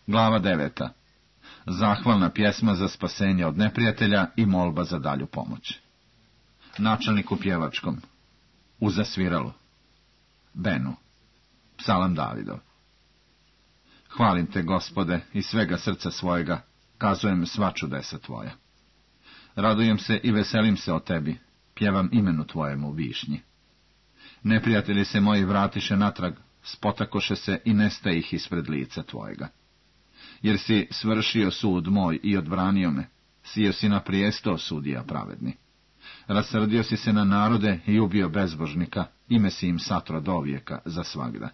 Glava 9. Zahvalna pjesma za spasenje od neprijatelja i molba za dalju pomoć. Načelnik u pjevačkom. Uza sviralo. Benu. Psalam Davidov. Hvalim te, Gospode, iz svega srca svojega, kazujem sva čudesa tvoja. Radujem se i veselim se o tebi, pjevam imenu tvojemu višnji. Neprijatelji se moji vratiše natrag, spotakoše se i nestaje ih ispred lica tvojega. Jer si svršio sud moj i odbranio me, sio si na prijesto sudija pravedni. Rasrdio si se na narode i ubio bezbožnika, ime si im satro dovijeka za svagda.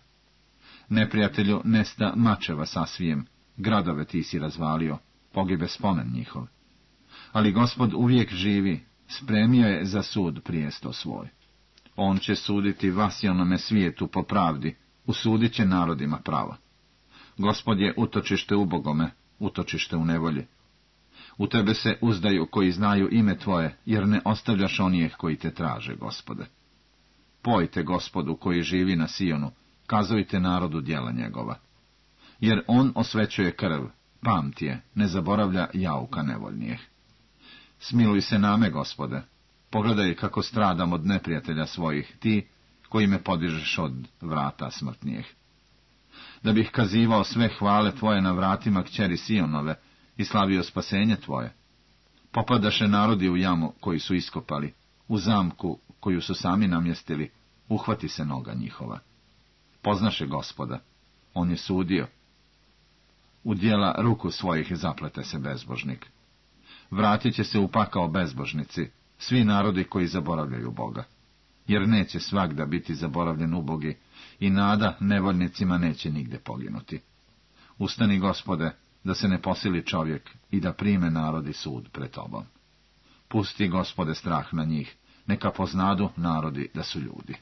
Neprijatelju nesta mačeva sasvijem, gradove ti si razvalio, pogibe spomen njihov. Ali Gospod uvijek živi, spremio je za sud prijesto svoj. On će suditi vasjonome svijetu po pravdi, usudit će narodima pravo. Gospod je utočište ubogome, utočište u nevolji. U tebe se uzdaju koji znaju ime tvoje, jer ne ostavljaš onih koji te traže, Gospode. Pojte Gospodu koji živi na Sijonu, kazujte narodu djela njegova. Jer on osvećuje krv, pamti je, ne zaboravlja jauka nevoljnijeh. Smiluj se name, Gospode, pogledaj kako stradam od neprijatelja svojih, ti koji me podižeš od vrata smrtnijeh. Da bih kazivao sve hvale tvoje na vratima kćeri Sionove i slavio spasenje tvoje. Popadaše narodi u jamu koji su iskopali, u zamku koju su sami namjestili, uhvati se noga njihova. Poznaše Gospoda, on je sudio. U djela ruku svojih zaplete se bezbožnik. Vratit će se u pakao bezbožnici, svi narodi koji zaboravljaju Boga. Jer neće svagda biti zaboravljen ubogi i nada nevoljnicima neće nigde poginuti. Ustani, Gospode, da se ne posili čovjek i da prime narodi sud pred tobom. Pusti, Gospode, strah na njih, neka poznadu narodi da su ljudi.